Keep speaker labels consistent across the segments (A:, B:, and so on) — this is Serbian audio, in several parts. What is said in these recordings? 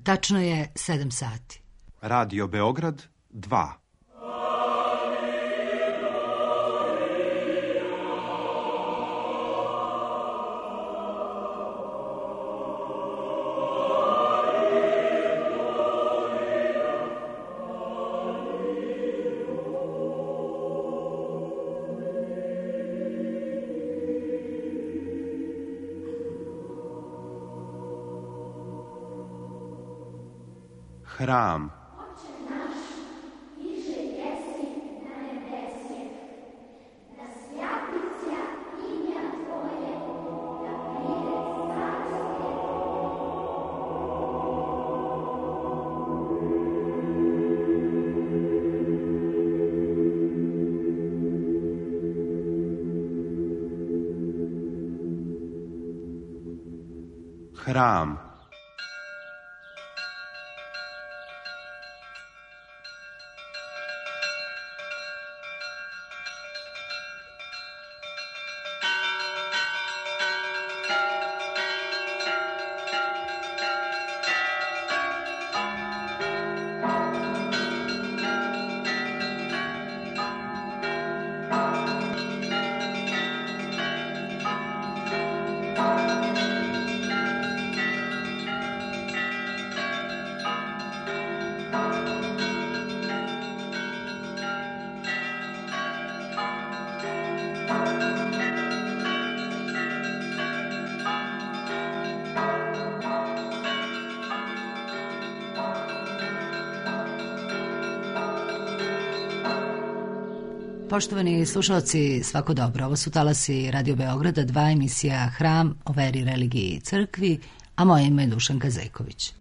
A: Tačno je 7 sati.
B: Radio Beograd 2. Hram. Hram.
A: Poštovani slušalci, svako dobro. Ovo su talasi Radio Beograda 2, emisija Hram o veri, religiji i crkvi, a moje ime je Dušanka Zejković.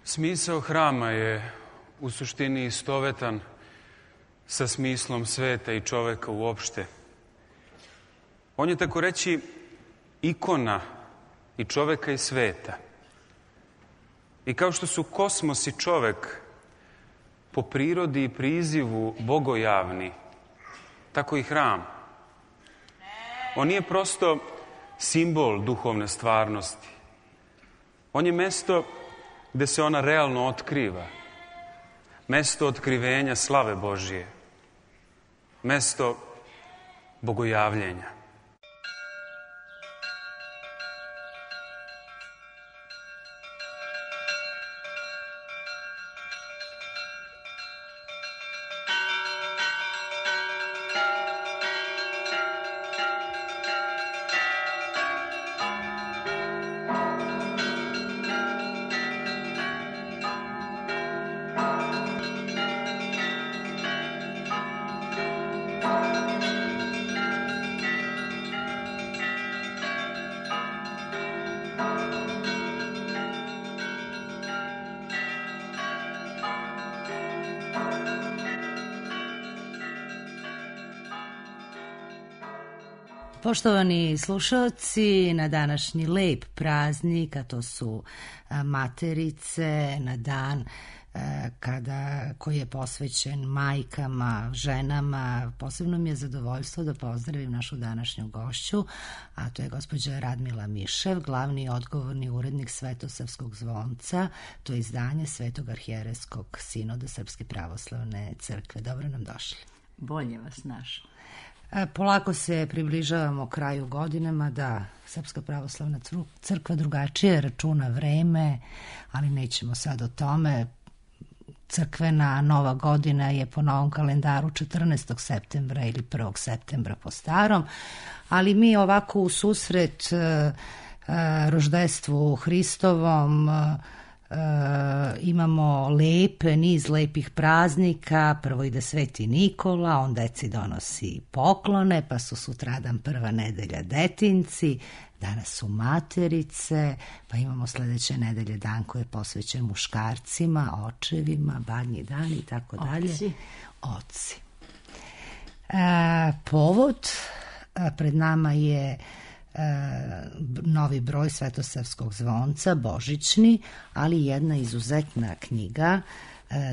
C: Smisao hrama je u suštini istovetan sa smislom sveta i čoveka uopšte. On je tako reći ikona i čoveka i sveta. I kao što su kosmos i čovek po prirodi i prizivu bogojavni, tako i hram. On nije prosto simbol duhovne stvarnosti. On je mesto gde se ona realno otkriva. Mesto otkrivenja slave Božije. Mesto bogojavljenja.
A: Poštovani slušalci, na današnji lep praznik, a to su Materice, na dan koji je posvećen majkama, ženama, posebno mi je zadovoljstvo da pozdravim našu današnju gošću, a to je gospođa Radmila Mišev, glavni i odgovorni urednik Svetosavskog zvonca, to je izdanje Svetog arhijerejskog sinoda Srpske pravoslavne crkve. Dobro nam došli.
D: Bolje vas našla.
A: Polako se približavamo kraju godinama, da Srpska pravoslavna crkva drugačije računa vreme, ali nećemo sad o tome. Crkvena nova godina je po novom kalendaru 14. septembra ili 1. septembra po starom, ali mi ovako u susret roždestvu Hristovom imamo niz lepih praznika. Prvo ide Sveti Nikola, on deci donosi poklone, pa su sutradan prva nedelja detinci, danas su materice, pa imamo sledeće nedelje dan koji je posvećen muškarcima, očevima, badnji dan i tako dalje. Oci. Povod, pred nama je novi broj Svetosavskog zvonca, božićni, ali jedna izuzetna knjiga,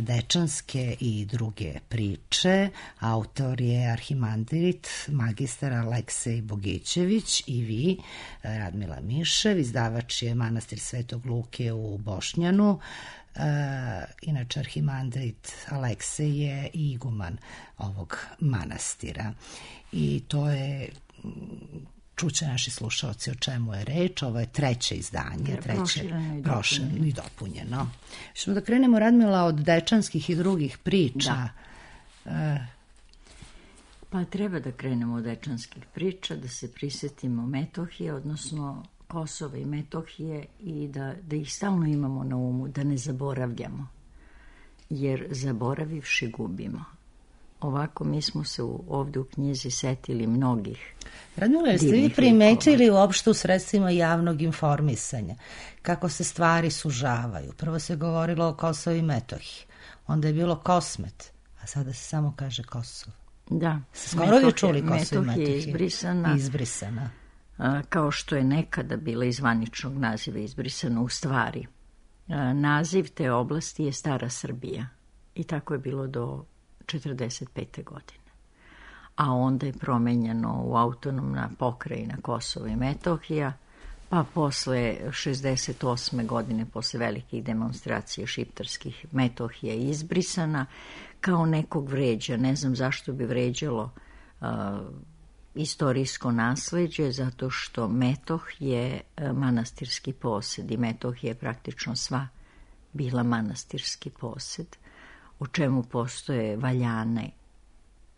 A: dečanske i druge priče. Autor je arhimandrit magistar Aleksej Bogićević i vi, Radmila Mišev. Izdavač je manastir Svetog Luke u Bošnjanu. Inače, arhimandrit Aleksej je i iguman ovog manastira. I to je... Čuće naši slušalci o čemu je reč. Ovo je treće izdanje, prošireno i dopunjeno. Ćemo da krenemo, Radmila, od dečanskih i drugih priča.
D: Pa treba da krenemo od dečanskih priča, da se prisetimo Metohije, odnosno Kosova i Metohije, i da ih stalno imamo na umu, da ne zaboravljamo, jer zaboravivši gubimo. Ovako mi smo se ovde u knjizi setili mnogih.
A: Radmila, jeste vi primetili uopšte u sredstvima javnog informisanja kako se stvari sužavaju? Prvo se govorilo o Kosovu i Metohiji, onda je bilo Kosmet, a sada se samo kaže Kosovo.
D: Da.
A: Skoro je čuli Kosovo i
D: Metohija je
A: izbrisana.
D: Kao što je nekada bila iz zvaničnog naziva izbrisana, u stvari. Naziv te oblasti je Stara Srbija i tako je bilo do 1945. godine. A onda je promenjeno u autonomna pokrajina Kosovo i Metohija, pa posle 68. godine, posle velikih demonstracija šiptarskih, Metohija je izbrisana, kao nekog vređa. Ne znam zašto bi vređalo istorijsko nasleđe, zato što Metoh je manastirski posed i Metohija je praktično sva bila manastirski posed, u čemu postoje valjane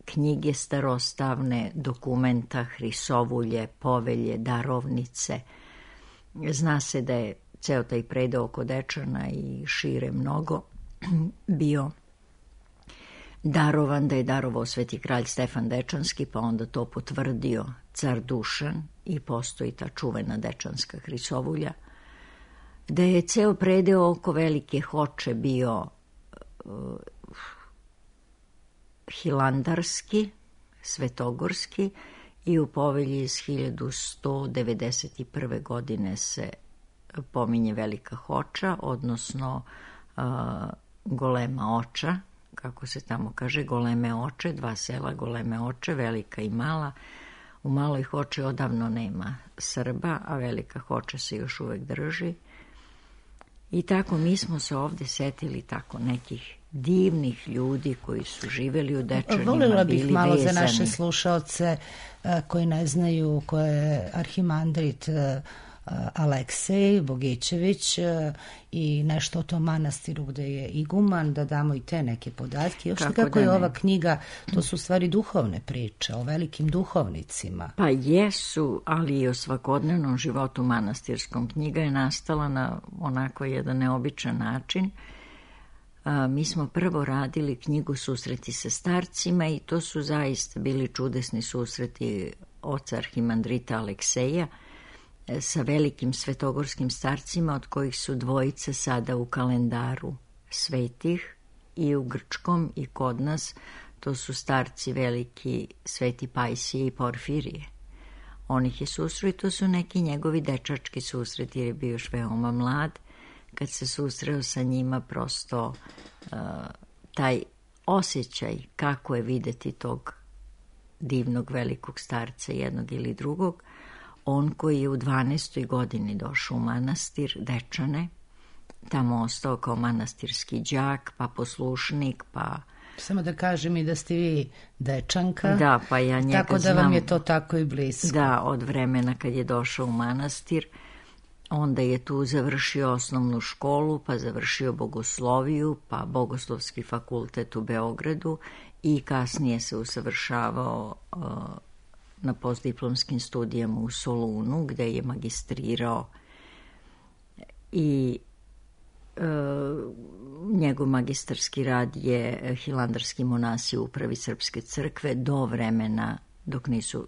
D: knjige starostavne, dokumenta, hrisovulje, povelje, darovnice. Zna se da je ceo taj predeo oko Dečana i šire mnogo bio darovan, da je darovao sveti kralj Stefan Dečanski, pa onda to potvrdio car Dušan i postoji ta čuvena dečanska hrisovulja, da je ceo predeo oko Velike Hoče bio hilandarski, svetogorski, i u povelji iz 1191. godine se pominje Velika Hoča, odnosno Golema Oča, kako se tamo kaže, Goleme Oče, dva sela Goleme Oče, Velika i Mala. U Maloj Hoči odavno nema Srba, a Velika Hoča se još uvek drži. I tako mi smo se ovde setili tako nekih divnih ljudi koji su živeli u Dečanima,
A: Volila
D: bili
A: bih malo
D: vezani.
A: za naše slušaoce koji ne znaju ko je arhimandrit Aleksej Bogićević i nešto o tom manastiru gde je iguman, da damo i te neke podatke. Još kako je ova knjiga, to su stvari duhovne priče o velikim duhovnicima.
D: Pa jesu, ali i o svakodnevnom životu manastirskom. Knjiga je nastala na onako jedan neobičan način. Mi smo prvo radili knjigu Susreti sa starcima i to su zaista bili čudesni susreti oca arhimandrita Alekseja sa velikim svetogorskim starcima, od kojih su dvojice sada u kalendaru svetih i u grčkom i kod nas. To su starci veliki Sveti Pajsije i Porfirije. On ih je susreo i to su neki njegovi dečački susreti, jer je bio još veoma mlad. Kad se susreo sa njima, prosto taj osjećaj kako je videti tog divnog velikog starca, jednog ili drugog. On koji je u 12. godini došao u manastir Dečane, tamo ostao kao manastirski đak, pa poslušnik, pa
A: Samo da kažem i da ste vi Dečanka.
D: Da, pa ja njega
A: tako da
D: znam,
A: vam je to tako i blisko.
D: Da, od vremena kad je došao u manastir, onda je tu završio osnovnu školu, pa završio bogosloviju, pa bogoslovski fakultet u Beogradu i kasnije se usavršavao na postdiplomskim studijama u Solunu, gde je magistrirao i njegov magistarski rad je Hilandarski monasi u upravi Srpske crkve do vremena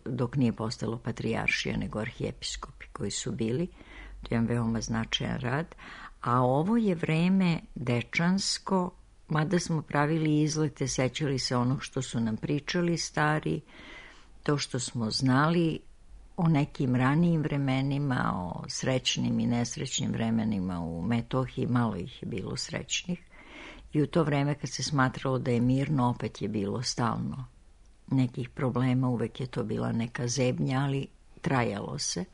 D: dok nije postalo patrijaršija, nego arhijepiskopi koji su bili. To je jedan veoma značajan rad. A ovo je vreme dečansko, mada smo pravili izlete, sećali se onog što su nam pričali stari, to što smo znali o nekim ranijim vremenima, o srećnim i nesrećnim vremenima u Metohiji, malo ih je bilo srećnih. I u to vreme kad se smatralo da je mirno, opet je bilo stalno nekih problema, uvek je to bila neka zebnja, ali trajalo se.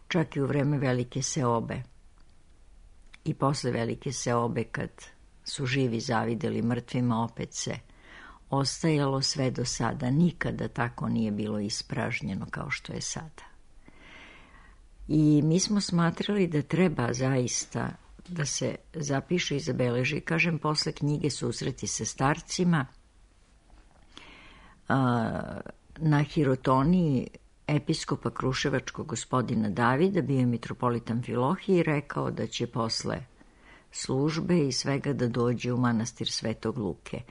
D: Čak i u vreme velike seobe. I posle velike seobe, kad su živi zavideli mrtvima, opet se ostajalo sve do sada. Nikada tako nije bilo ispražnjeno kao što je sada. I mi smo smatrali da treba zaista da se zapiše i zabeleži. Kažem, posle knjige Susreti sa starcima, na hirotoniji episkopa Kruševačkog gospodina Davida bio je mitropolita Amfilohije i rekao da će posle službe i svega da dođe u manastir Svetog Luke.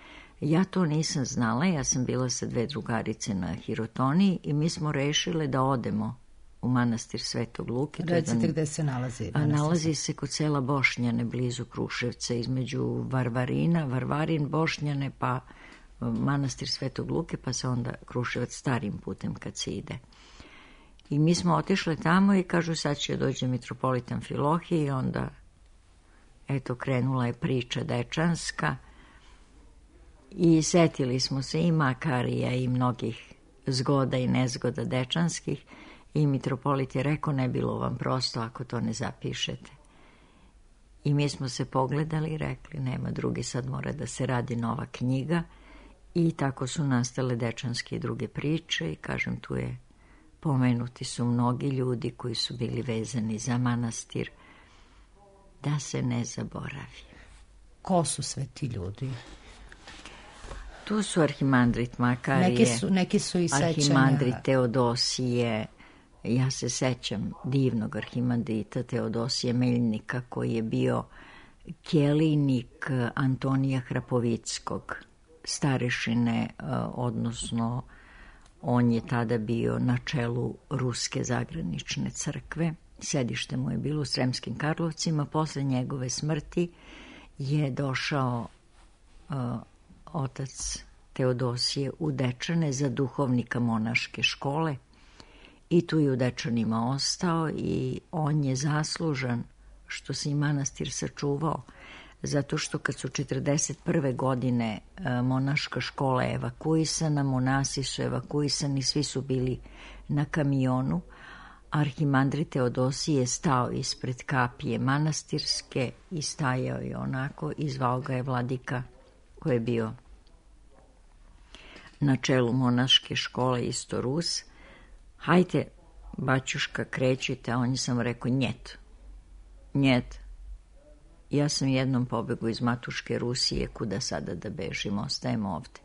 D: Ja to nisam znala, ja sam bila sa 2 drugarice na hirotoniji i mi smo rešile da odemo u manastir Svetog Luke.
A: Recite gde se nalazi?
D: Nalazi se kod sela Bošnjane, blizu Kruševca, između Varvarin, Bošnjane, pa manastir Svetog Luke, pa se onda Kruševac starim putem kad se ide. I mi smo otišle tamo i kažu sad će dođe mitropolit Amfilohije i onda eto krenula je priča dečanska i setili smo se i Makarija i mnogih zgoda i nezgoda dečanskih i mitropolit je rekao ne bilo vam prosto ako to ne zapišete. I mi smo se pogledali i rekli nema drugi, sad mora da se radi nova knjiga i tako su nastale dečanske i druge priče i kažem tu je pomenuti su mnogi ljudi koji su bili vezani za manastir da se ne zaboravi.
A: Ko su sve ti ljudi?
D: Tu su arhimandrit Makarije,
A: neki su i sećanja.
D: Arhimandrit Teodosije, ja se sećam divnog arhimandrita Teodosije Meljnika koji je bio kelijnik Antonija Hrapovickog, starešine, odnosno on je tada bio na čelu Ruske zagranične crkve. Sedište mu je bilo u Sremskim Karlovcima. Posle njegove smrti je došao otac Teodosije u Dečane za duhovnika monaške škole i tu je u Dečanima ostao i on je zaslužan što se i manastir sačuvao, zato što kad su 1941. godine monaška škola evakuisana, monasi su evakuisani, svi su bili na kamionu, arhimandrit Teodosije je stao ispred kapije manastirske i stajao je onako i zvao ga je vladika koji je bio na čelu monaške škole, isto Rus. Hajte, baćuška, krećite, a on je samo rekao njet. Ja sam jednom pobegu iz matuške Rusije, kuda sada da bežim, ostajemo ovde.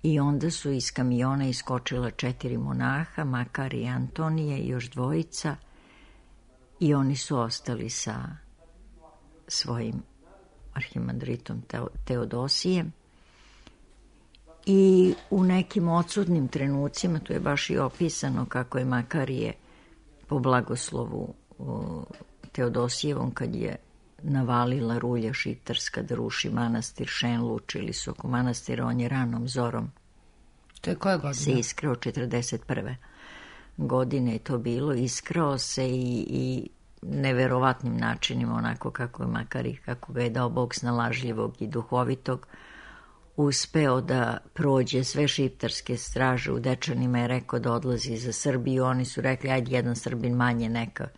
D: I onda su iz kamiona iskočila 4 monaha, Makar i Antonije i još 2 i oni su ostali sa svojim arhimandritom Teodosijem. I u nekim odsudnim trenucima, tu je baš i opisano kako je Makarije po blagoslovu Teodosijevom, kad je navalila rulja šiptarska da ruši manastir, lučili su oko manastira, on je ranom zorom.
A: To je koja godina?
D: Se iskrao 1941. godine je to bilo, iskrao se i neverovatnim načinima, onako kako je Makari, kako ga je dao Bog snalažljivog i duhovitog, uspeo da prođe sve šiptarske straže u Dečanima, je rekao da odlazi za Srbiju, oni su rekli ajde jedan Srbin manje neka,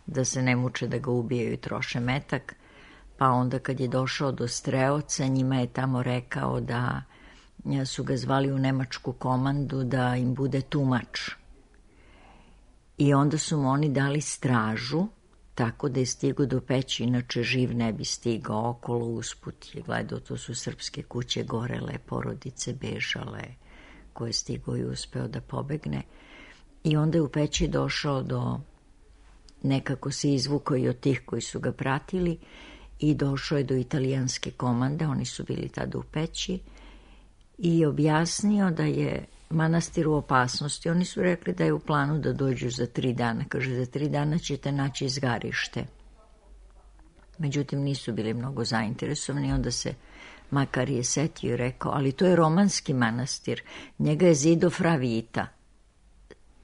D: da se ne muče da ga ubijaju i troše metak, pa onda kad je došao do Streoca, njima je tamo rekao da su ga zvali u nemačku komandu da im bude tumač. I onda su mu oni dali stražu, tako da je stigao do Peći, inače živ ne bi stigao okolo, usput je gledao, to su srpske kuće gorele, porodice bežale, koje je stigao i uspeo da pobegne. I onda je u Peći došao do, nekako se izvukao i od tih koji su ga pratili i došao je do italijanske komande, oni su bili tada u Peći, i objasnio da je manastir u opasnosti. Oni su rekli da je u planu da dođu za 3 dana. Kaže, za 3 dana ćete naći izgarište. Međutim, nisu bili mnogo zainteresovani. Onda se Makarije setio i rekao, ali to je romanski manastir. Njega je zido fra Vita.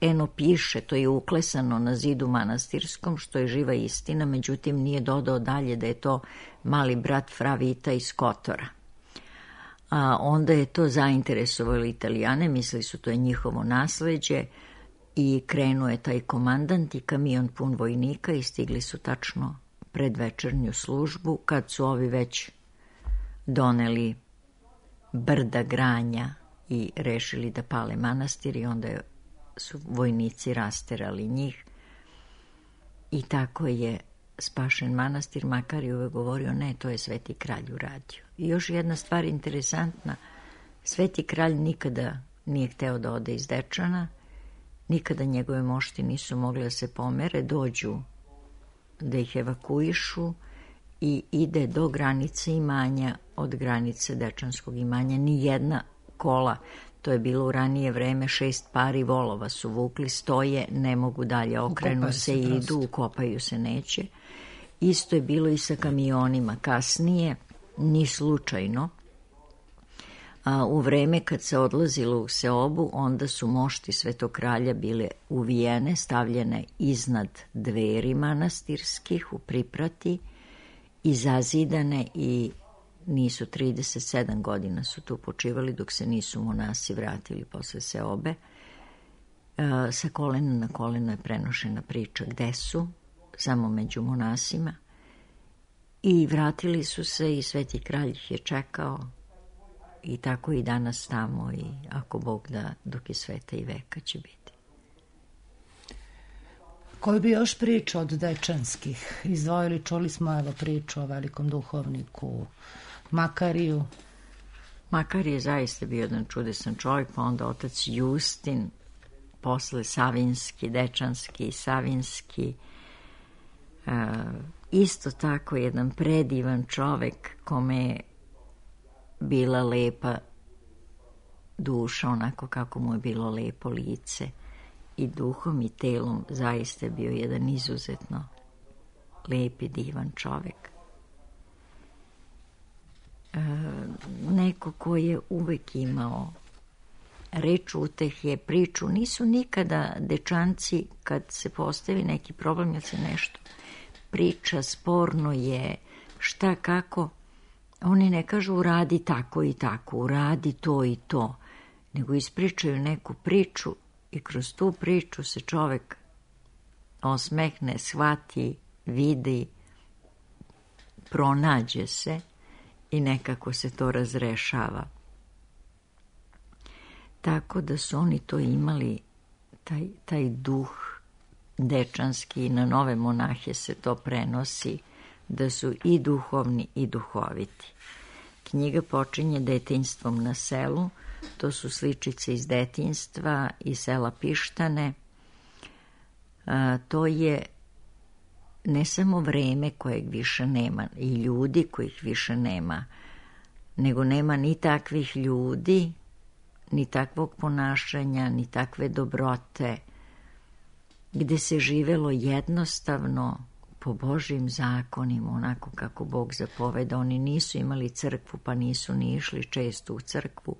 D: Eno piše, to je uklesano na zidu manastirskom, što je živa istina, međutim nije dodao dalje da je to mali brat fra Vita iz Kotora. A onda je to zainteresovalo Italijane, mislili su to je njihovo nasleđe i krenuo je taj komandant i kamion pun vojnika i stigli su tačno pred večernju službu kad su ovi već doneli brda granja i rešili da pale manastir i onda su vojnici rasterali njih i tako je spašen manastir. Makar je uvek govorio, ne, to je Sveti kralj uradio. I još jedna stvar interesantna, Sveti kralj nikada nije hteo da ode iz Dečana, nikada njegove mošti nisu mogli da se pomere, dođu da ih evakuišu i ide do granice imanja, od granice Dečanskog imanja. Nijedna kola, to je bilo u ranije vreme, 6 pari volova su vukli, stoje, ne mogu dalje, okrenu se i idu, ukopaju se, neće. Isto je bilo i sa kamionima. Kasnije, ni slučajno, u vreme kad se odlazilo u seobu, onda su mošti Svetog kralja bile uvijene, stavljene iznad dveri manastirskih u priprati i zazidane i nisu 37 godina su tu počivali dok se nisu monasi vratili posle seobe. Sa kolena na koleno je prenošena priča gde su, samo među monasima. I vratili su se i Sveti kralj ih je čekao i tako i danas tamo i ako Bog da dok je sveta i veka će biti.
A: Koju bi još priču od Dečanskih izdvojili? Čuli smo evo priču o velikom duhovniku Makariju.
D: Makar je zaista bio jedan čudesan čovjek, pa onda otac Justin, posle Savinski, Dečanski, Savinski, isto tako jedan predivan čovjek kome je bila lepa duša, onako kako mu je bilo lepo lice i duhom i telom, zaista je bio jedan izuzetno lep i divan čovjek. Neko ko je uvek imao reč utehe, priču. Nisu nikada Dečanci, kad se postavi neki problem ili se nešto priča, sporno je, šta, kako, oni ne kažu uradi tako i tako, uradi to i to, nego ispričaju neku priču i kroz tu priču se čovek osmehne, shvati, vidi, pronađe se i nekako se to razrešava. Tako da su oni to imali, taj duh dečanski, i na nove monahe se to prenosi, da su i duhovni i duhoviti. Knjiga počinje detinjstvom na selu, to su sličice iz detinjstva i sela Pištane. To je ne samo vreme kojeg više nema i ljudi kojih više nema, nego nema ni takvih ljudi, ni takvog ponašanja, ni takve dobrote, gde se živelo jednostavno po Božjim zakonima, onako kako Bog zapoveda. Oni nisu imali crkvu, pa nisu ni išli često u crkvu.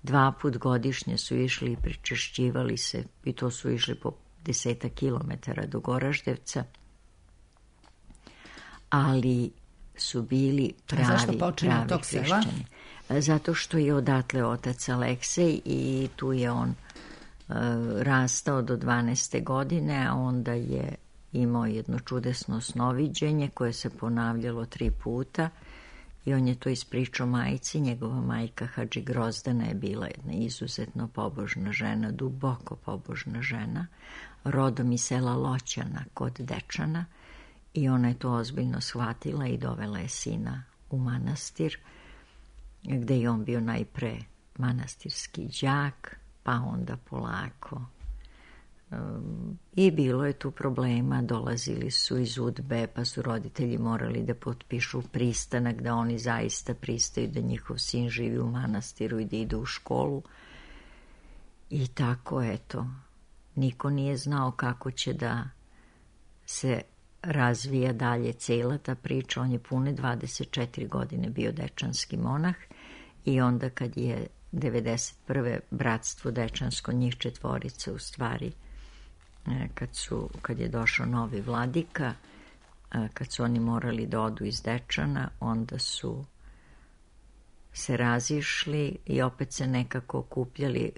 D: 2 puta godišnje su išli i pričešćivali se, i to su išli po 10 kilometara do Goraždevca, ali su bili pravi hrišćani. Zato što je odatle otac Aleksej i tu je on rastao do 12. godine, a onda je imao jedno čudesno snoviđenje koje se ponavljalo 3 puta i on je to ispričao majci. Njegova majka Hadži Grozdana je bila jedna izuzetno pobožna žena, duboko pobožna žena, rodom iz sela Loćana kod Dečana, i ona je to ozbiljno shvatila i dovela je sina u manastir, gde je on bio najpre manastirski đak, pa onda polako. I bilo je tu problema, dolazili su iz UDBE, pa su roditelji morali da potpišu pristanak da oni zaista pristaju da njihov sin živi u manastiru i da ide u školu. I tako, eto, niko nije znao kako će da se razvija dalje cela ta priča. On je pune 24 godine bio dečanski monah i onda kad je 91. bratstvo dečansko, njih 4 u stvari, kad je došao novi vladika, kad su oni morali da odu iz Dečana, onda su se razišli i opet se nekako okupljali.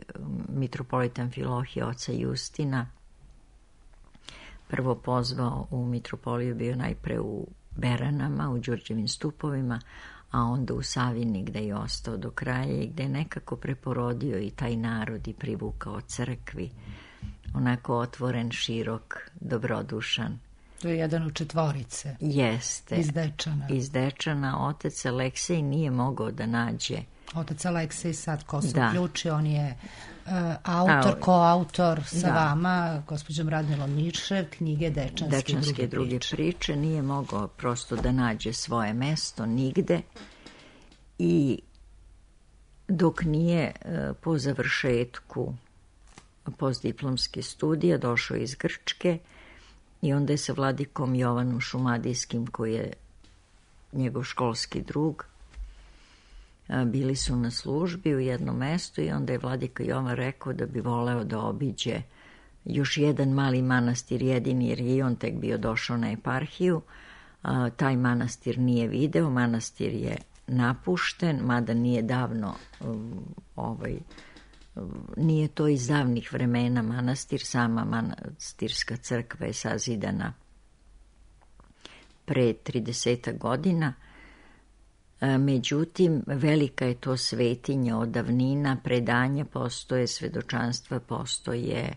D: Mitropolita Amfilohije, oca Justina, prvo pozvao u mitropoliju, bio najpre u Beranama, u Đurđevim stupovima, a onda u Savini, gde je ostao do kraja i gde je nekako preporodio i taj narod i privukao crkvi. Onako otvoren, širok, dobrodušan.
A: To je jedan od 4.
D: Jeste.
A: Iz Dečana.
D: Iz Dečana. Otac Aleksej nije mogao da nađe.
A: Otac Aleksej sad ko se uključi, on je koautor sa vama, gospođom Radmilom Mišev, knjige Dečanske druge
D: priče. Nije mogao prosto da nađe svoje mesto nigde i dok nije po završetku postdiplomske studije došao iz Grčke i onda je sa vladikom Jovanom Šumadijskim, koji je njegov školski drug, bili su na službi u jednom mestu i onda je vladika Jovan rekao da bi voleo da obiđe još jedan mali manastir, jedini, jer je on tek bio došao na eparhiju. Taj manastir nije video, manastir je napušten, mada nije davno, nije to iz davnih vremena manastir, sama manastirska crkva je sazidana pre 30 godina. Međutim, velika je to svetinja od davnina, predanja postoje, svedočanstva postoje.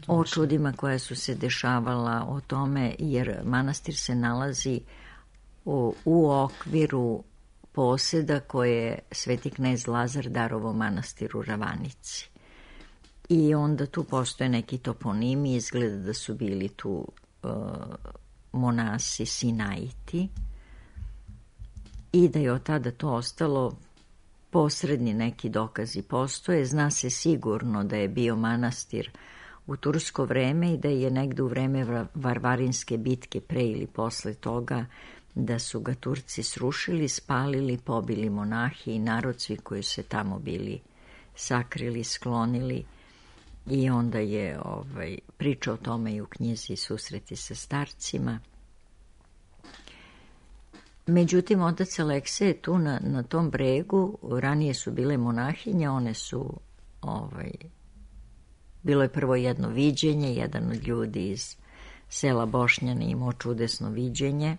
A: O čudima
D: koja su se dešavala o tome, jer manastir se nalazi u okviru poseda koje je sveti knez Lazar darovao manastiru Ravanici. I onda tu postoje neki toponimi, izgleda da su bili tu monasi Sinaiti i da je od tada to ostalo. Posredni neki dokazi postoje. Zna se sigurno da je bio manastir u tursko vreme i da je negde u vreme Varvarinske bitke, pre ili posle toga, da su ga Turci srušili, spalili, pobili monahi i narod, svi koji se tamo bili sakrili, sklonili. I onda je priča o tome i u knjizi Susreti sa starcima. Međutim, otac Aleksej je tu na tom bregu, ranije su bile monahinje, one su, bilo je prvo jedno viđenje, jedan od ljudi iz sela Bošnjani imao čudesno viđenje,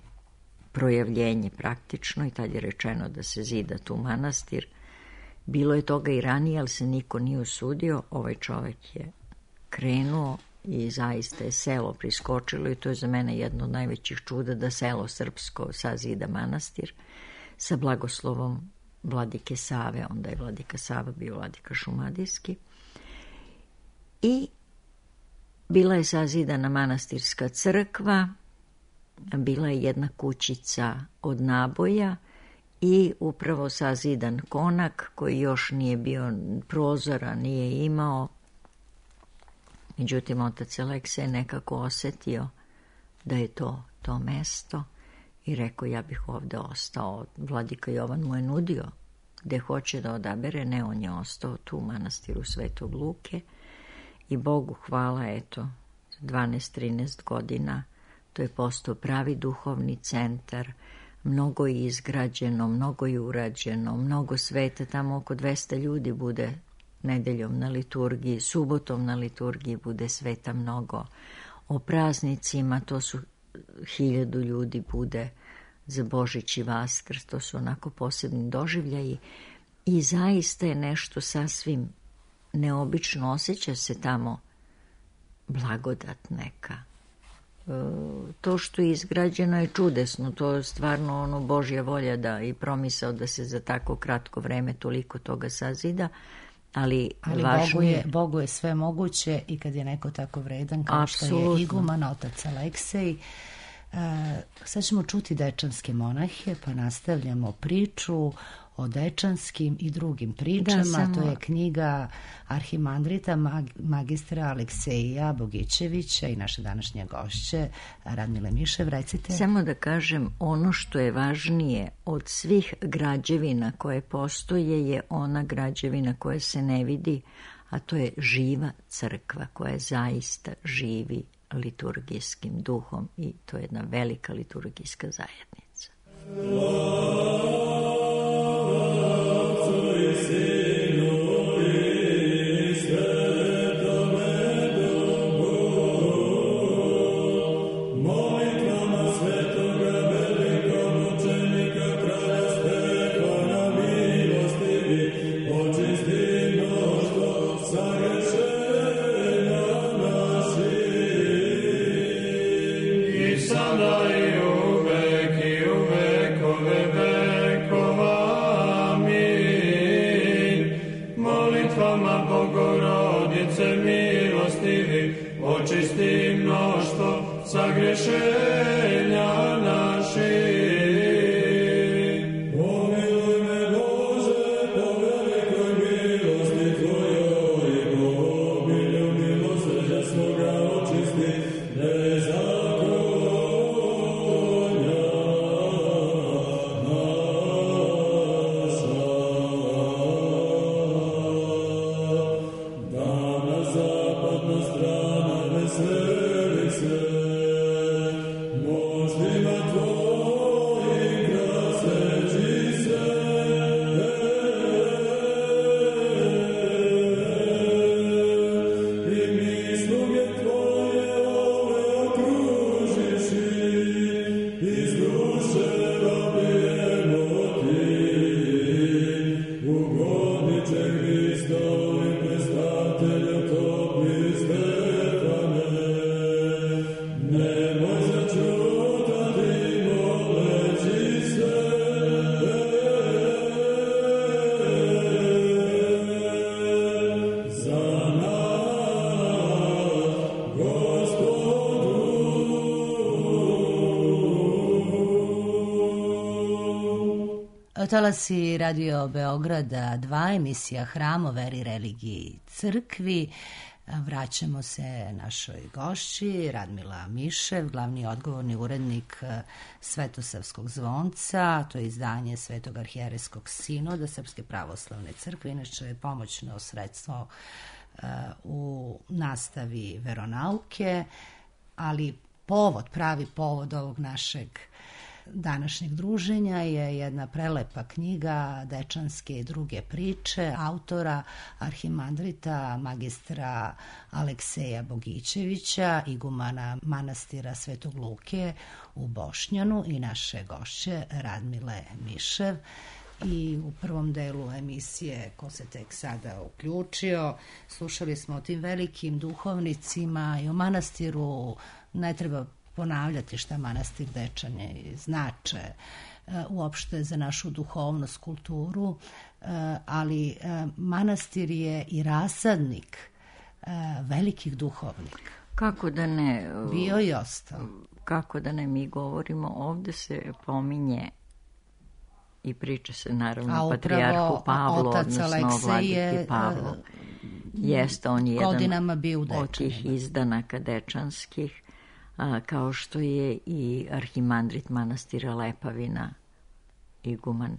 D: projavljenje praktično, i tad je rečeno da se zida tu manastir. Bilo je toga i ranije, ali se niko nije usudio. Ovaj čovek je krenuo i zaista je selo priskočilo i to je za mene jedno od najvećih čuda da selo srpsko sazida manastir sa blagoslovom vladike Save. Onda je vladika Sava bio vladika Šumadijski. I bila je sazidana manastirska crkva, bila je jedna kućica od naboja i upravo sazidan konak koji još nije bio prozora, nije imao. Međutim, otac Aleksej nekako osetio da je to mesto i rekao, ja bih ovde ostao. Vladika Jovan mu je nudio gde hoće da odabere, ne, on je ostao tu u manastiru Svetog Luke i Bogu hvala, eto, 12-13 godina to je postao pravi duhovni centar, mnogo je izgrađeno, mnogo je urađeno, mnogo sveta, tamo oko 200 ljudi bude nedeljom na liturgiji, subotom na liturgiji bude sveta mnogo. O praznicima to su 1000 ljudi bude za Božić i Vaskrs, to su onako posebni doživljaji i zaista je nešto sasvim neobično, osjeća se tamo blagodat neka. To što je izgrađeno je čudesno, to je stvarno Božja volja da i promisao da se za tako kratko vreme toliko toga sazida, ali
A: Bogu je sve moguće i kad je neko tako vredan kao što je iguman, otac Aleksej. Sad ćemo čuti dečanske monahe, pa nastavljamo priču o dečanskim i drugim pričama. To je knjiga arhimandrita magistra Alekseja Bogićevića i naše današnje gošće Radmile Mišev. Recite.
D: Samo da kažem, ono što je važnije od svih građevina koje postoje je ona građevina koja se ne vidi, a to je živa crkva koja zaista živi liturgijskim duhom i to je jedna velika liturgijska zajednica.
E: Očisti mnoštvo sagrešenja naših. Pomiluj me Bože, po velikoj milosti Tvojoj, i po obilju milosrđa svoga očisti bezakonja naša. Danas zapadna strana veseli se, moždima Tvojim kraseći se. I mi sluge Tvoje ove okružiši, iz duše robijemo Ti, ugodniče Hristovi, prestatelju topli Stefane. Nemoj začutati moleći se, za nas, Gospodu.
A: Talasi Radio Beograda 2, emisija Hram o veri, religiji i crkvi. Vraćamo se našoj gošći, Radmila Mišev, glavni odgovorni urednik Svetosavskog zvonca, to je izdanje Svetog arhijerejskog sinoda Srpske pravoslavne crkve, inače je pomoćno sredstvo u nastavi veronauke, ali pravi povod ovog našeg današnjeg druženja je jedna prelepa knjiga Dečanske i druge priče autora arhimandrita magistra Alekseja Bogićevića, igumana manastira Svetog Luke u Bošnjanu i naše gošće Radmile Mišev. I u prvom delu emisije, ko se tek sada uključio, slušali smo o tim velikim duhovnicima i o manastiru. Ne treba ponavljati šta manastir Dečane znače uopšte za našu duhovnost, kulturu, ali manastir je i rasadnik velikih duhovnika.
D: Kako da ne?
A: Bio i ostao.
D: Kako da ne, mi govorimo, ovde se pominje i priča se naravno o patrijarhu Pavlu, odnosno vladiki Pavlu. Jeste, on je jedan od tih izdanaka dečanskih, kao što je i arhimandrit manastira Lepavina, iguman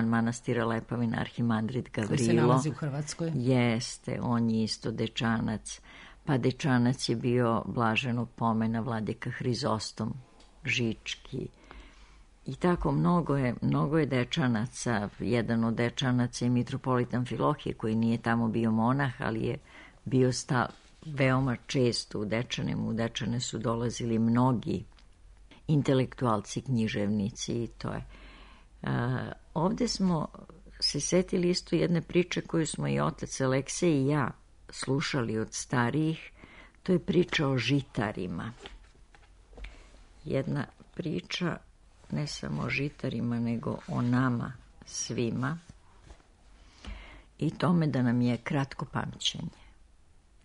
D: manastira Lepavina, arhimandrit Gavrilo.
A: Koji se nalazi u Hrvatskoj.
D: Jeste, on je isto dečanac. Pa dečanac je bio blaženog pomena vladika Hrizostom Žički. I tako mnogo je dečanaca. Jedan od dečanaca je mitropolit Amfilohije, koji nije tamo bio monah, ali je bio veoma često u Dečane. U Dečane su dolazili mnogi intelektualci, književnici i to je. Ovde smo se setili isto jedne priče koju smo i otac Aleksej i ja slušali od starijih. To je priča o žitarima. Jedna priča ne samo o žitarima, nego o nama svima i tome da nam je kratko pamćenje.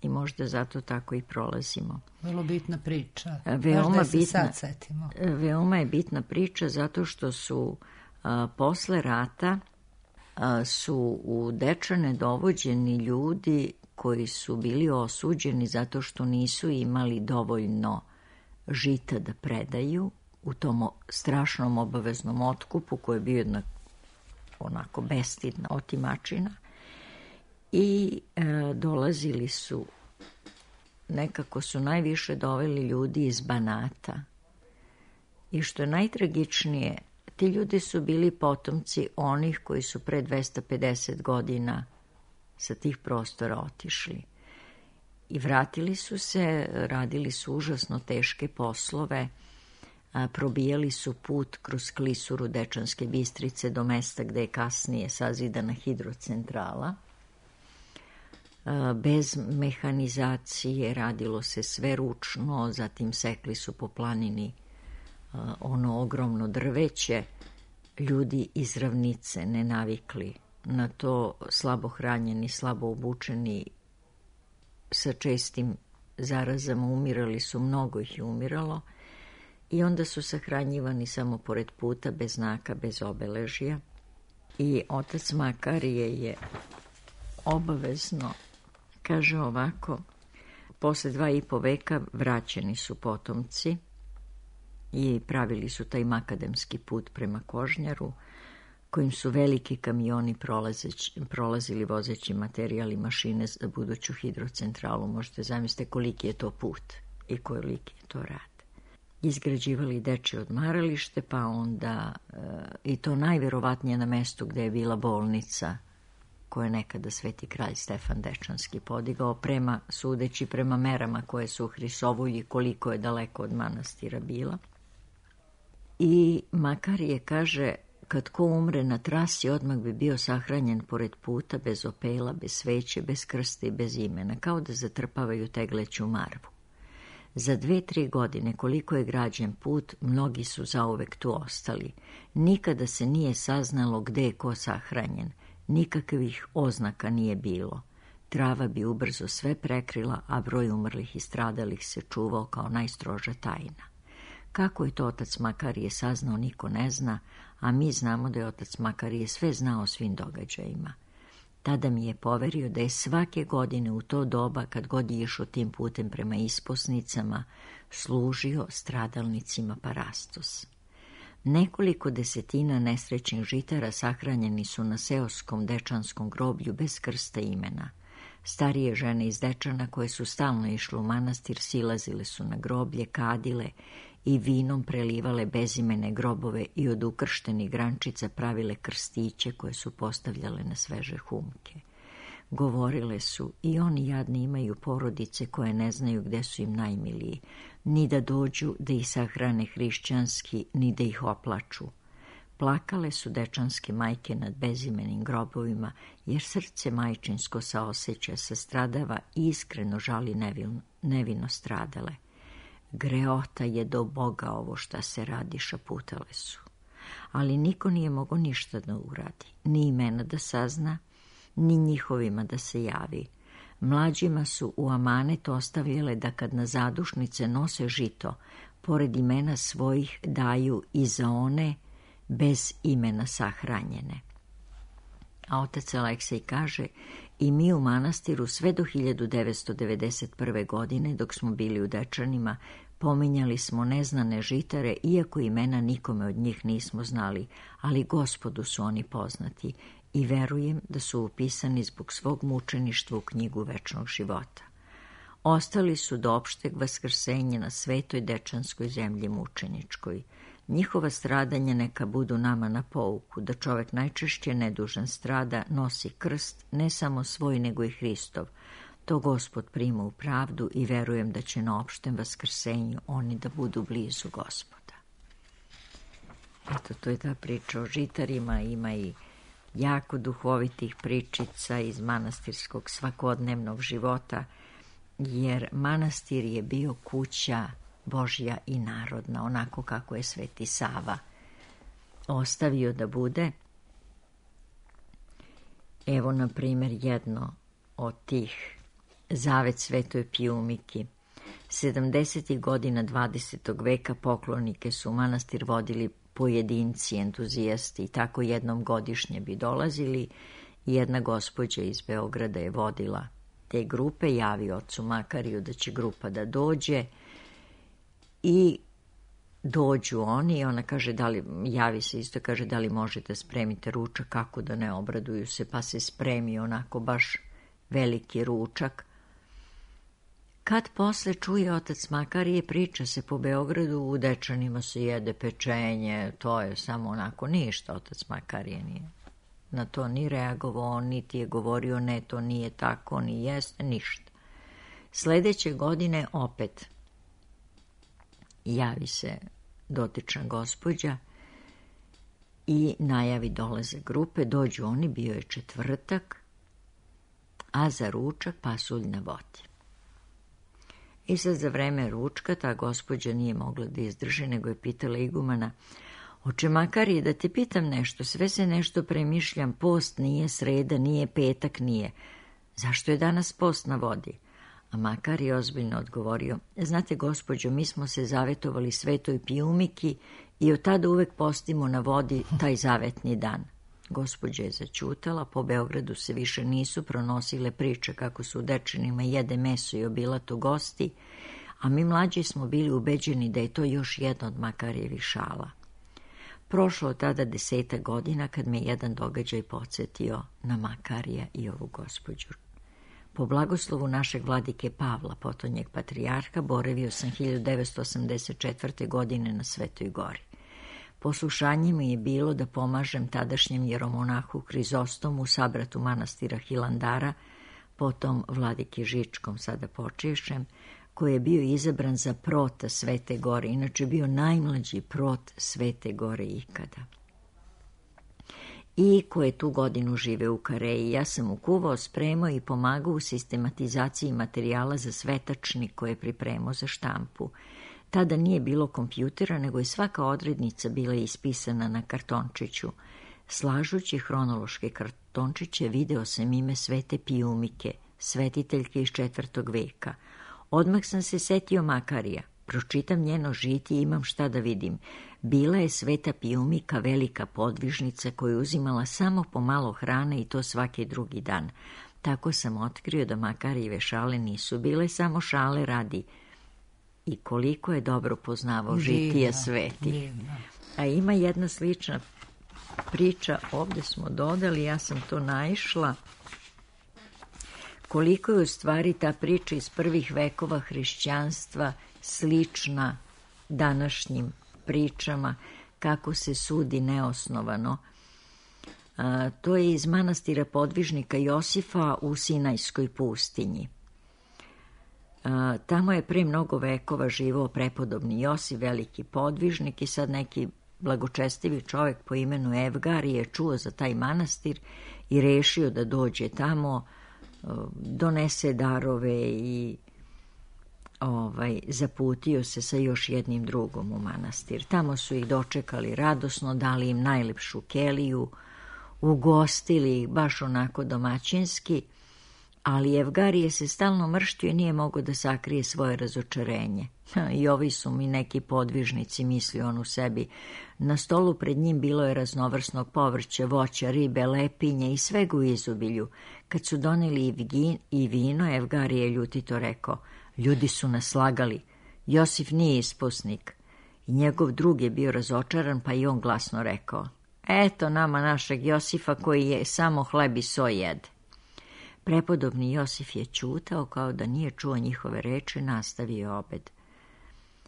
D: I možda zato tako i prolazimo.
A: Vrlo bitna priča.
D: Veoma
A: se sad setimo.
D: Veoma je bitna priča zato što su posle rata su u Dečane dovođeni ljudi koji su bili osuđeni zato što nisu imali dovoljno žita da predaju u tom strašnom obaveznom otkupu koji je bio jedna onako bestidna otimačina i dolazili su, nekako su najviše doveli ljudi iz Banata i što je najtragičnije, ti ljudi su bili potomci onih koji su pre 250 godina sa tih prostora otišli. I vratili su se, radili su užasno teške poslove, probijali su put kroz klisuru Dečanske Bistrice do mesta gde je kasnije sazidana hidrocentrala. Bez mehanizacije radilo se sve ručno, zatim sekli su po planini ono ogromno drveće. Ljudi iz ravnice ne navikli na to, slabo hranjeni, slabo obučeni, sa čestim zarazama umirali su, mnogo ih je umiralo i onda su sahranjivani samo pored puta, bez znaka, bez obeležja. I otac Makarije je obavezno, kaže ovako, posle 2,5 veka vraćeni su potomci i pravili su taj makadamski put prema Kožnjaru, kojim su veliki kamioni prolazili vozeći materijal i mašine za buduću hidrocentralu. Možete zamisliti koliki je to put i koliki je to rad. Izgrađivali dečje odmaralište, pa onda i to najverovatnije na mestu gde je bila bolnica koje je nekada Sveti kralj Stefan Dečanski podigao, sudeći prema merama koje su u Hrisovulji, koliko je daleko od manastira bila. I Makarije kaže, kad ko umre na trasi, odmah bi bio sahranjen pored puta, bez opela, bez sveće, bez krsta i bez imena, kao da zatrpavaju tegleću marvu. Za 2-3 godine koliko je građen put, mnogi su zauvek tu ostali. Nikada se nije saznalo gde je ko sahranjen, nikakvih oznaka nije bilo. Trava bi ubrzo sve prekrila, a broj umrlih i stradalih se čuvao kao najstroža tajna. Kako je to otac Makarije saznao, niko ne zna, a mi znamo da je otac Makarije sve znao o svim događajima. Tada mi je poverio da je svake godine u to doba, kad god je išao tim putem prema isposnicama, služio stradalnicima parastos. Nekoliko desetina nesrećnih žitara sahranjeni su na seoskom dečanskom groblju bez krsta imena. Starije žene iz Dečana koje su stalno išle u manastir silazile su na groblje, kadile i vinom prelivale bezimene grobove i od ukrštenih grančica pravile krstiće koje su postavljale na sveže humke. Govorile su, i oni jadni imaju porodice koje ne znaju gde su im najmiliji, ni da dođu da ih sahrane hrišćanski, ni da ih oplaču. Plakale su dečanske majke nad bezimenim grobovima, jer srce majčinsko saoseća, sastradava i iskreno žali nevino stradale. Greota je do Boga ovo šta se radi, šaputale su. Ali niko nije mogao ništa da uradi, ni imena da sazna, ni njihovima da se javi. Mlađima su u amanet ostavljale da kad na zadušnice nose žito, pored imena svojih daju i za one bez imena sahranjene. A otac Aleksej kaže, i mi u manastiru sve do 1991. godine, dok smo bili u Dečanima, pominjali smo neznane žitare, iako imena nikome od njih nismo znali, ali Gospodu su oni poznati i verujem da su upisani zbog svog mučeništva u knjigu večnog života. Ostali su do opšteg vaskrsenja na svetoj dečanskoj zemlji mučeničkoj. Njihova stradanja neka budu nama na pouku, da čovek najčešće nedužan strada, nosi krst, ne samo svoj nego i Hristov. To Gospod prima u pravdu i verujem da će na opštem vaskrsenju oni da budu blizu Gospoda. Eto, to je ta priča o žitarima, ima i jako duhovitih pričica iz manastirskog svakodnevnog života, jer manastir je bio kuća Božja i narodna, onako kako je Sveti Sava ostavio da bude. Evo, na primjer, jedno od tih, zavet Svetoj Pijumiki. 70. godina 20. veka poklonike su u manastir vodili pojedinci, entuzijasti, i tako jednom godišnje bi dolazili. Jedna gospođa iz Beograda je vodila te grupe, javi ocu Makariju da će grupa da dođe i dođu oni i ona kaže, javi se isto, kaže da li možete spremite ručak, kako da ne, obraduju se, pa se spremi onako baš veliki ručak. Kad posle čuje otac Makarije, priča se po Beogradu, u Dečanima se jede pečenje, to je samo onako ništa, otac Makarije nije na to ni reagovao, niti je govorio ne, to nije tako, ni jeste, ništa. Sledeće godine opet javi se dotična gospođa i najavi dolaze grupe, dođu oni, bio je četvrtak, a za ručak pasulj na vodi. I sad za vreme ručka ta gospođa nije mogla da izdrži, nego je pitala igumana, oče Makarije, da te pitam nešto, sve se nešto premišljam, post nije, sreda nije, petak nije. Zašto je danas post na vodi? A Makarije je ozbiljno odgovorio, znate gospođo, mi smo se zavetovali Svetoj Pijumiki i od tada uvek postimo na vodi taj zavetni dan. Gospođa je zaćutala, po Beogradu se više nisu pronosile priče kako su u Dečanima jede meso i obilato gosti, a mi mlađi smo bili ubeđeni da je to još jedna od Makarijevih šala. Prošlo od tada 10 godina kad me jedan događaj podsjetio na Makarija i ovu gospođu. Po blagoslovu našeg vladike Pavla, potonjeg patrijarha, boravio sam 1984. godine na Svetoj gori. Poslušanje mi je bilo da pomažem tadašnjem jeromonahu Krizostomu, sabratu manastira Hilandara, potom vladiki Žičkom, sada počešem, koji je bio izabran za prota Svete gore, inače bio najmlađi prot Svete gore ikada. I koji je tu godinu žive u Kareji. Ja sam mu kuvao, spremao i pomagao u sistematizaciji materijala za svetačnik koje je pripremao za štampu. Tada nije bilo kompjutera, nego je svaka odrednica bila ispisana na kartončiću. Slažući hronološke kartončiće video sam ime Svete Pijumike, svetiteljke iz 4. veka. Odmah sam se setio Makarija. Pročitam njeno žitije i imam šta da vidim. Bila je Sveta Pijumika velika podvižnica koja je uzimala samo po malo hrane i to svaki drugi dan. Tako sam otkrio da Makarijeve šale nisu bile samo šale radi i koliko je dobro poznavao žitija svetih. A ima jedna slična priča, ovdje smo dodali, ja sam to naišla, koliko je u stvari ta priča iz prvih vekova hrišćanstva slična današnjim pričama, kako se sudi neosnovano. To je iz manastira podvižnika Josifa u Sinajskoj pustinji. Tamo je pre mnogo vekova živao prepodobni Josif, veliki podvižnik, i sad neki blagočestivi čovjek po imenu Evgarije je čuo za taj manastir i rešio da dođe tamo, donese darove i zaputio se sa još jednim drugom u manastir. Tamo su ih dočekali radosno, dali im najlepšu keliju, ugostili ih baš onako domaćinski, ali Evgarije se stalno mrštio i nije mogao da sakrije svoje razočarenje. I ovi su mi neki podvižnici, mislio on u sebi. Na stolu pred njim bilo je raznovrsnog povrća, voća, ribe, lepinje i svega u izobilju. Kad su doneli i vino, Evgarije je ljutito rekao, ljudi su nas slagali, Josif nije ispusnik. I njegov drug je bio razočaran, pa i on glasno rekao, eto nama našeg Josifa koji je samo hleb i so jede. Prepodobni Josif je ćutao kao da nije čuo njihove reči, nastavio obed.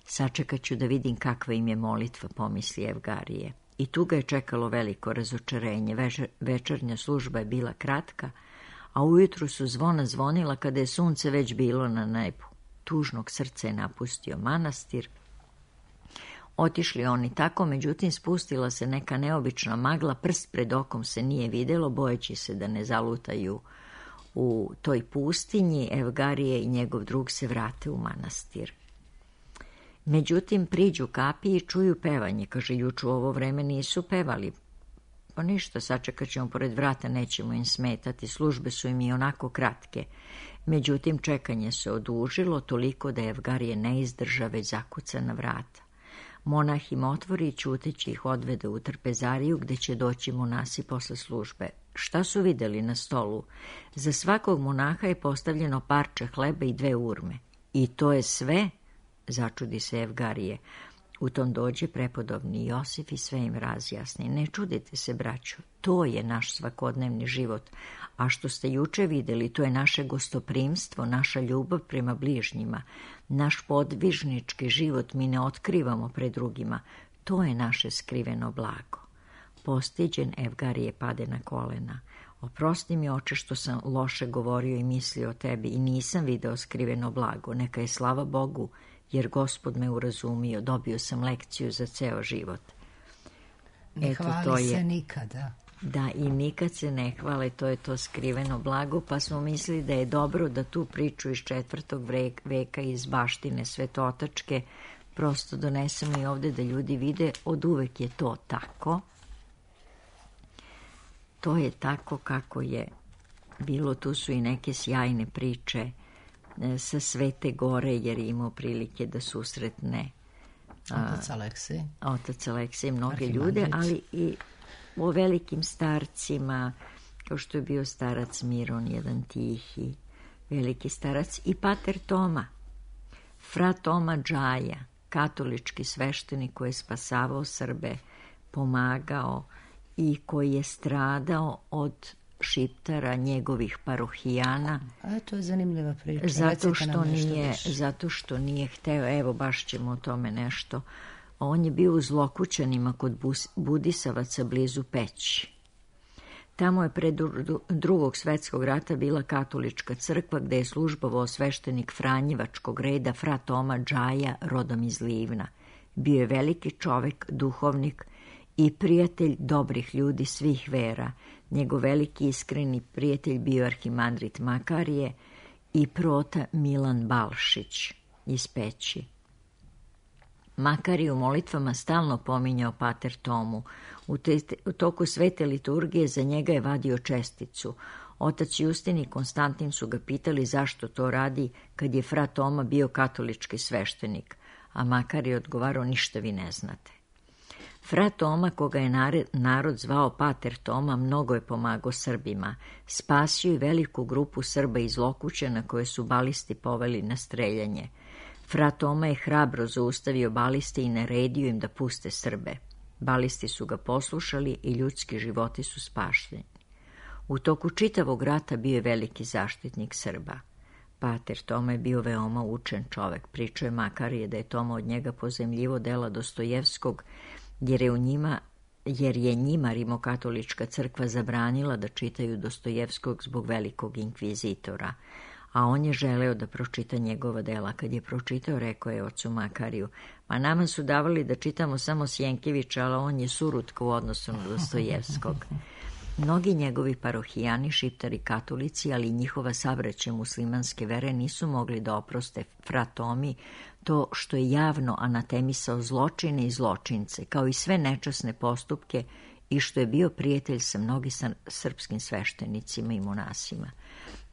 D: Sačekat ću da vidim kakva im je molitva, pomisli Evgarije. I tu ga je čekalo veliko razočarenje. Večernja služba je bila kratka, a ujutru su zvona zvonila kada je sunce već bilo na nebu. Tužnog srca je napustio manastir. Otišli oni tako, međutim spustila se neka neobična magla, prst pred okom se nije vidjelo, bojeći se da ne zalutaju u toj pustinji. Evgarije i njegov drug se vrate u manastir. Međutim, priđu kapiji i čuju pevanje. Kaže, juče u ovo vreme nisu pevali. Pa ništa, sačekat ćemo pored vrata, nećemo im smetati, službe su im i onako kratke. Međutim, čekanje se odužilo toliko da Evgarije ne izdrža, već zakuca na vrata. Monah im otvori i ćuteći ih odvede u trpezariju, gde će doći monasi posle službe. Šta su vidjeli na stolu? Za svakog monaha je postavljeno parče hleba i 2 urme. I to je sve? Začudi se Evgarije. U tom dođe prepodobni Josif i sve im razjasni. Ne čudite se, braćo, to je naš svakodnevni život. A što ste juče vidjeli, to je naše gostoprimstvo, naša ljubav prema bližnjima. Naš podvižnički život mi ne otkrivamo pred drugima. To je naše skriveno blago. Postiđen, Evgarije pade na kolena. Oprosti mi, oče, što sam loše govorio i mislio o tebi i nisam video skriveno blago. Neka je slava Bogu, jer Gospod me urazumio, dobio sam lekciju za ceo život.
A: Ne hvali se nikada.
D: Da, i nikad se ne hvale, to je to skriveno blago, pa smo mislili da je dobro da tu priču iz 4. veka iz baštine Svetotačke prosto donesemo i ovdje da ljudi vide, od uvek je to tako. To je tako kako je bilo, tu su i neke sjajne priče sa Svete Gore, jer je imao prilike da susretne Otac Aleksej, mnoge ljude, ali i o velikim starcima, kao što je bio starac Miron, jedan tihi, veliki starac, i pater Toma, fra Toma Džaja, katolički sveštenik koji je spasavao Srbe, pomagao i koji je stradao od Šiptara, njegovih parohijana.
A: A to je zanimljiva priča.
D: Zato što nije hteo, evo baš ćemo o tome nešto. On je bio u Zlokućanima kod Budisavaca blizu Peći. Tamo je pred Drugog svetskog rata bila katolička crkva gde je službovao sveštenik Franjevačkog reda fra Toma Džaja, rodom iz Livna. Bio je veliki čovek, duhovnik i prijatelj dobrih ljudi svih vera. Njegov veliki iskreni prijatelj bio arhimandrit Makarije i prota Milan Balšić iz Peći. Makarij u molitvama stalno pominjao pater Tomu. U toku svete liturgije za njega je vadio česticu. Otac Justin i Konstantin su ga pitali zašto to radi kad je fra Toma bio katolički sveštenik, a Makarij je odgovarao, ništa vi ne znate. Fra Toma, koga je narod zvao pater Toma, mnogo je pomagao Srbima. Spasio i veliku grupu Srba iz Lokućana koje su balisti poveli na streljanje. Fra Toma je hrabro zaustavio baliste i naredio im da puste Srbe. Balisti su ga poslušali i ljudski životi su spašeni. U toku čitavog rata bio je veliki zaštitnik Srba. Pater Toma je bio veoma učen čovek. Pričao je Makarije da je Toma od njega pozemljivo dela Dostojevskog, jer je njima rimokatolička crkva zabranila da čitaju Dostojevskog zbog velikog inkvizitora, a on je želeo da pročita njegova dela. Kad je pročitao, rekao je ocu Makariju, ma nama su davali da čitamo samo Sjenkevića, ali on je surutka u odnosu na Dostojevskog. Mnogi njegovi parohijani, šiptari katolici, ali i njihova sabraća muslimanske vere nisu mogli da oproste fra Tomi to što je javno anatemisao zločine i zločince, kao i sve nečasne postupke, i što je bio prijatelj sa mnogim srpskim sveštenicima i monasima.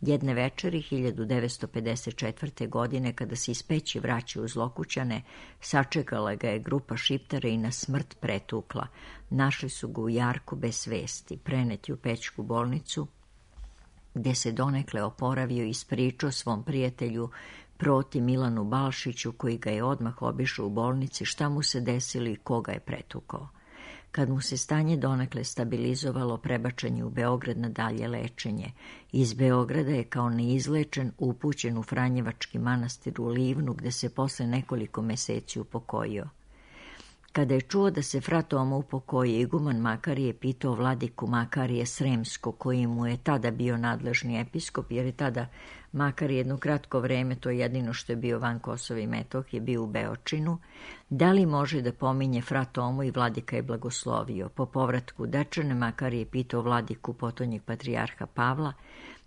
D: Jedne večeri 1954. godine, kada se iz Peći vraćao u Zlokućane, sačekala ga je grupa šiptara i na smrt pretukla. Našli su ga u jarku bez svesti, preneti u Pećku bolnicu, gde se donekle oporavio i ispričao svom prijatelju proti Milanu Balšiću, koji ga je odmah obišao u bolnici, šta mu se desilo i koga je pretukao. Kad mu se stanje donekle stabilizovalo, prebačen je u Beograd na dalje lečenje. Iz Beograda je kao neizlečen upućen u Franjevački manastir u Livnu, gde se posle nekoliko meseci upokojio. Kada je čuo da se fra Toma upokojio, iguman Makarije pitao vladiku Makarije Sremskog, koji mu je tada bio nadležni episkop, jer je tada Makarije jedno kratko vreme, to je jedino što je bio van Kosova i Metohije, bio u Beočinu, da li može da pominje fra Tomu, i vladika je blagoslovio. Po povratku Dečane Makarije je pitao vladiku potonjeg patrijarha Pavla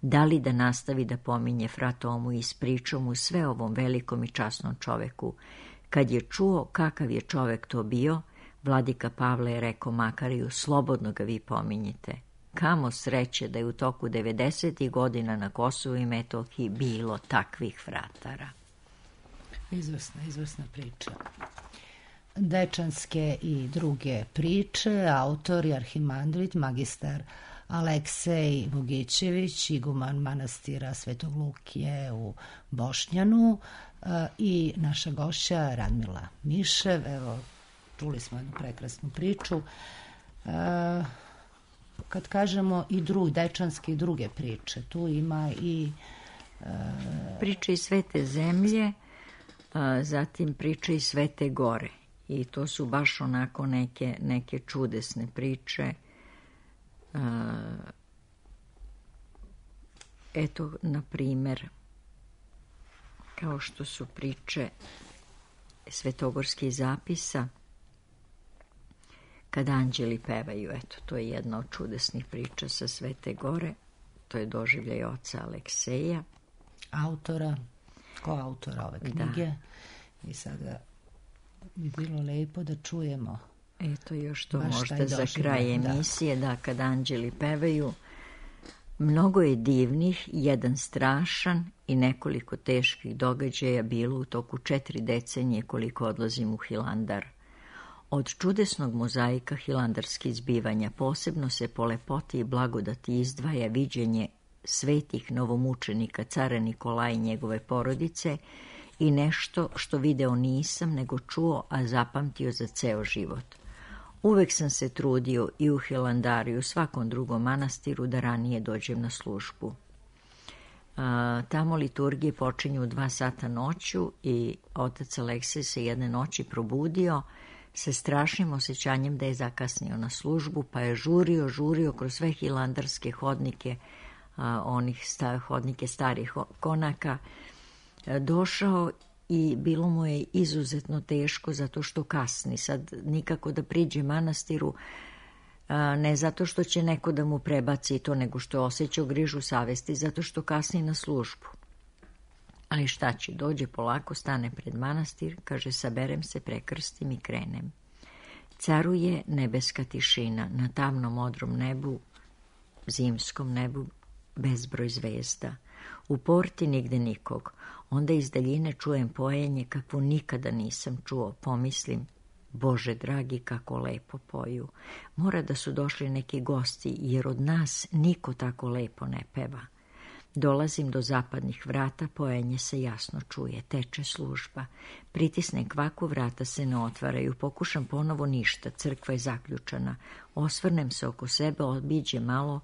D: da li da nastavi da pominje fra Tomu i ispričao mu sve ovom velikom i časnom čoveku. Kad je čuo kakav je čovek to bio, vladika Pavle je rekao Makariju, slobodno ga vi pominjite. Kamo sreće da je u toku 90. godina na Kosovu i Metohiji bilo takvih fratara.
A: Izvrsna priča. Dečanske i druge priče, autor je arhimandrit, magistar Aleksej Bogićević, iguman manastira Svetog Lukije u Bošnjanu, i naša gošća Radmila Mišev. Evo, čuli smo jednu prekrasnu priču. Kad kažemo i dečanske i druge priče, tu ima i
D: priče iz Svete zemlje, zatim priče iz Svete gore, i to su baš onako neke čudesne priče. Eto, na primer, kao što su priče svetogorskih zapisa, kad anđeli pevaju. Eto, to je jedna od čudesnih priča sa Svete gore. To je doživljaj oca Alekseja.
A: Koautora ove knjige. Da. I sada bi bilo lepo da čujemo.
D: Eto, još to možda za kraj emisije, da, kad anđeli pevaju. Mnogo je divnih, jedan strašan i nekoliko teških događaja bilo u toku 4 decenije koliko odlazim u Hilandar. Od čudesnog mozaika hilandarskih zbivanja posebno se po lepoti i blagodati izdvaja viđenje svetih novomučenika cara Nikolaja i njegove porodice i nešto što video nisam nego čuo, a zapamtio za ceo život. Uvek sam se trudio i u Hilandaru i u svakom drugom manastiru da ranije dođem na službu. Tamo liturgije počinju u 2 sata noću i otac Aleksej se jedne noći probudio sa strašnim osjećanjem da je zakasnio na službu, pa je žurio kroz sve hilandarske hodnike, hodnike starih konaka, došao i bilo mu je izuzetno teško zato što kasni. Sad nikako da priđe manastiru, ne zato što će neko da mu prebaci to, nego što je osjećao grižu savesti zato što kasni na službu. Ali šta će, dođe polako, stane pred manastir, kaže saberem se, prekrstim i krenem. Caruje nebeska tišina, na tamnom modrom nebu, zimskom nebu, bezbroj zvezda. U porti nigde nikog. Onda iz daljine čujem pojenje kakvo nikada nisam čuo. Pomislim, Bože dragi, kako lepo poju. Mora da su došli neki gosti, jer od nas niko tako lepo ne peva. Dolazim do zapadnih vrata, pojenje se jasno čuje, teče služba. Pritisnem kvaku, vrata se ne otvaraju, pokušam ponovo ništa, crkva je zaključana. Osvrnem se oko sebe, obiđem malo,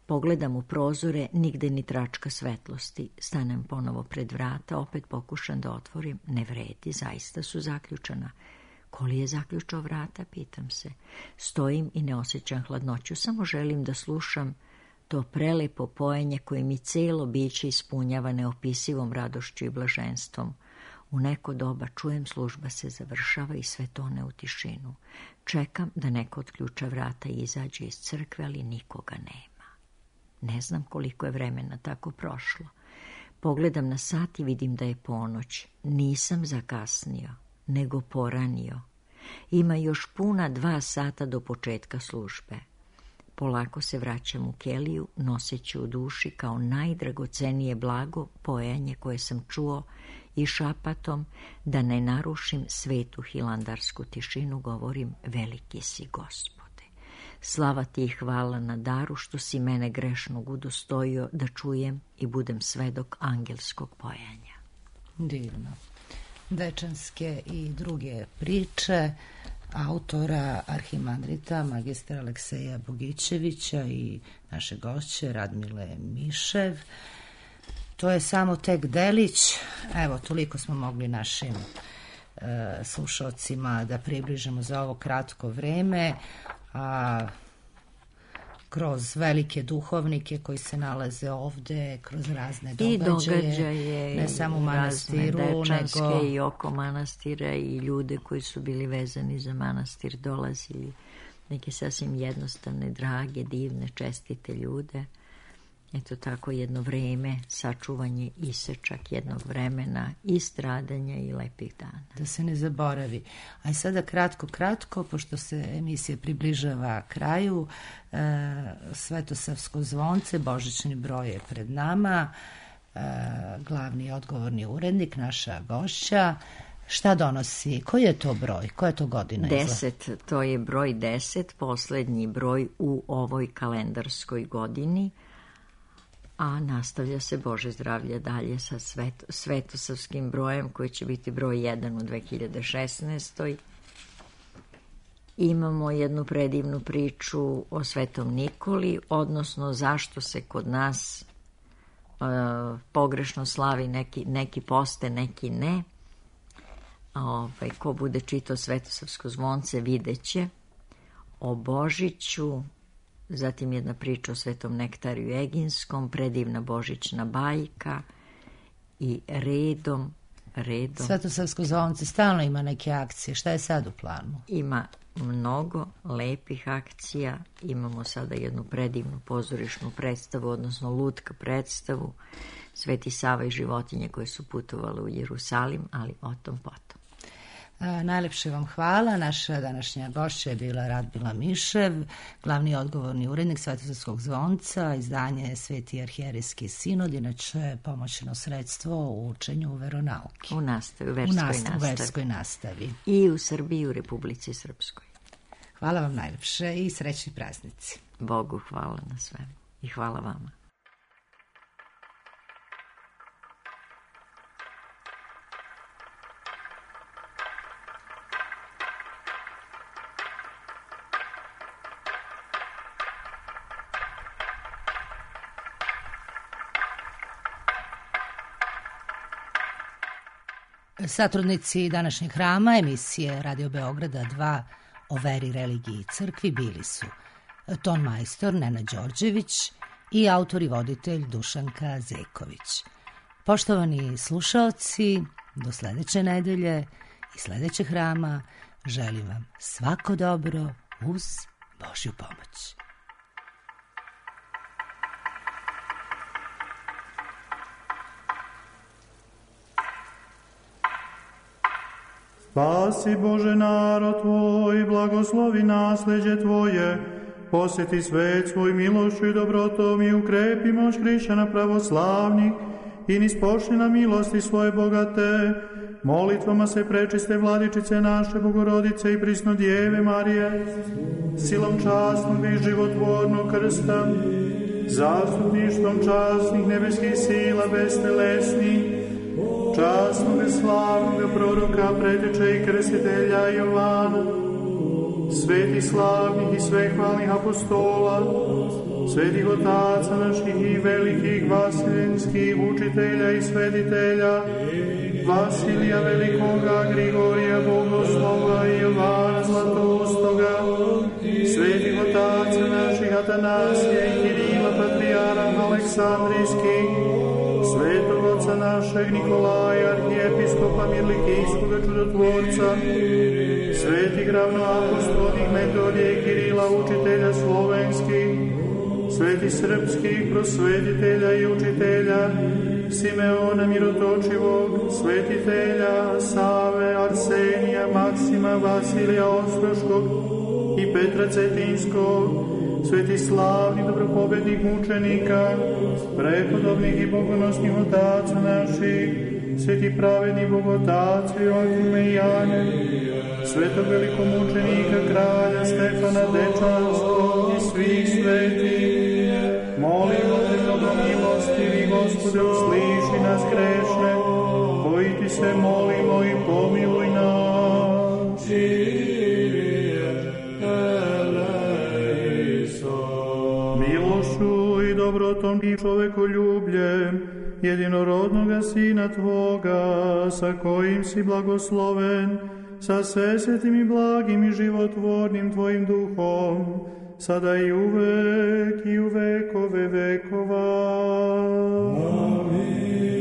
D: pogledam u prozore, nigde ni tračka svetlosti. Stanem ponovo pred vrata, opet pokušam da otvorim, ne vredi, zaista su zaključana. Ko li je zaključao vrata, pitam se. Stojim i ne osjećam hladnoću, samo želim da slušam to prelepo pojenje koje mi celo biće ispunjava neopisivom radošću i blaženstvom. U neko doba čujem, služba se završava i sve tone u tišinu. Čekam da neko otključa vrata i izađe iz crkve, ali nikoga nema. Ne znam koliko je vremena tako prošlo. Pogledam na sat i vidim da je ponoć. Nisam zakasnio, nego poranio. Ima još puna 2 sata do početka službe. Polako se vraćam u keliju, noseći u duši kao najdragocenije blago pojenje koje sam čuo i šapatom, da ne narušim svetu hilandarsku tišinu, govorim, veliki si Gospode. Slava ti i hvala na daru što si mene grešnog udostojio da čujem i budem svedok angelskog pojenja.
A: Divno. Dečanske i druge priče autora arhimandrita magistra Alekseja Bogićevića i naše gošće Radmile Mišev. To je samo tek delić. Evo, toliko smo mogli našim slušalcima da približimo za ovo kratko vreme, a kroz velike duhovnike koji se nalaze ovde, kroz razne događaje, ne samo u manastiru,
D: dečanske
A: nego
D: i oko manastira i ljude koji su bili vezani za manastir dolazili, neke sasvim jednostavne, drage, divne, čestite ljude. Eto tako jedno vreme, sačuvanje isečak jednog vremena i stradanja i lepih dana.
A: Da se ne zaboravi. A i sada kratko, pošto se emisija približava kraju, Svetosavsko zvonce, božićni broj je pred nama, glavni i odgovorni urednik, naša gošća. Šta donosi? Koji je to broj? Koja je to godina?
D: 10, to je broj 10, poslednji broj u ovoj kalendarskoj godini, a nastavlja se Bože zdravlje dalje sa Svetosavskim brojem koji će biti broj 1 u 2016. Imamo jednu predivnu priču o Svetom Nikoli, odnosno zašto se kod nas pogrešno slavi, neki poste, neki ne. Ko bude čitao Svetosavsko zvonce videće o Božiću, zatim jedna priča o Svetom Nektariju Eginskom, predivna božićna bajka i redom.
A: Svetosavsko zvonce stalno ima neke akcije. Šta je sad u planu?
D: Ima mnogo lepih akcija. Imamo sada jednu predivnu pozorišnu predstavu, odnosno lutka predstavu Sveti Sava i životinje koje su putovale u Jerusalim, ali o tom potom.
A: Najlepše vam hvala. Naša današnja gošća je bila Radmila Mišev, glavni odgovorni urednik Svetosavskog zvonca, izdanje Sveti arhijerijski sinod, inače pomoćno sredstvo u učenju veronauke.
D: U verskoj nastavi. I u Srbiji i u Republici Srpskoj.
A: Hvala vam najlepše i srećni praznici.
D: Bogu hvala na svemu i hvala vama.
A: Satrudnici današnjeg hrama emisije Radio Beograda 2 o veri, religiji i crkvi bili su ton majstor Nenad Đorđević i autor i voditelj Dušanka Zeković. Poštovani slušaoci, do sledeće nedelje i sledećeg hrama želim vam svako dobro uz Božju pomoć.
F: Spasi Bože narod Tvoj, blagoslovi nasleđe Tvoje, posjeti svet svoj milošću i dobrotom i ukrepi moć hrišćana pravoslavnih i nispošli na milosti svoje bogate. Molitvama se prečiste vladičice naše Bogorodice i prisno Djeve Marije, silom časnog i životvornog krsta, zastupništvom časnih nebeskih sila bestelesnih, časnog i slavnog proroka, preteče i krstitelja Jovana, svetih slavnih i svehvalnih apostola, svetih otaca naših i velikih vaseljenskih učitelja i svetitelja, Vasilija Velikoga, Grigorija Bogoslova i Jovana Zlatoustoga, svetih otaca naših Atanasija i Kirila Patrijarha Aleksandrijskih, svetog oca našeg Nikolaja, arhijepiskopa Mirlikijskoga čudotvorca, svetih ravnoapostolnih Metodija i Kirila, učitelja slovenskih, svetih srpskih prosvetitelja i učitelja, Simeona Mirotočivog, svetitelja Save, Arsenija, Maksima, Vasilija Ostroškog i Petra Cetinskog, svetih slavnih dobropobednih mučenika, prepodobnih i bogonosnih otaca naših, svetih pravednih bogotaca Joakime i Jane, svetog velikomučenika kralja Stefana Dečanskog i svih svetih. Molimo te, mnogomilostivi Gospode, usliši nas grešne, koji ti se molimo i pomiluj nas. Milošću i dobrotom i čovekoljubljem jedinorodnoga Sina Tvoga, sa kojim si blagosloven, sa svesvetim i blagim i životvornim Tvojim duhom, sada i uvek i u vekove vekova.
E: Amin.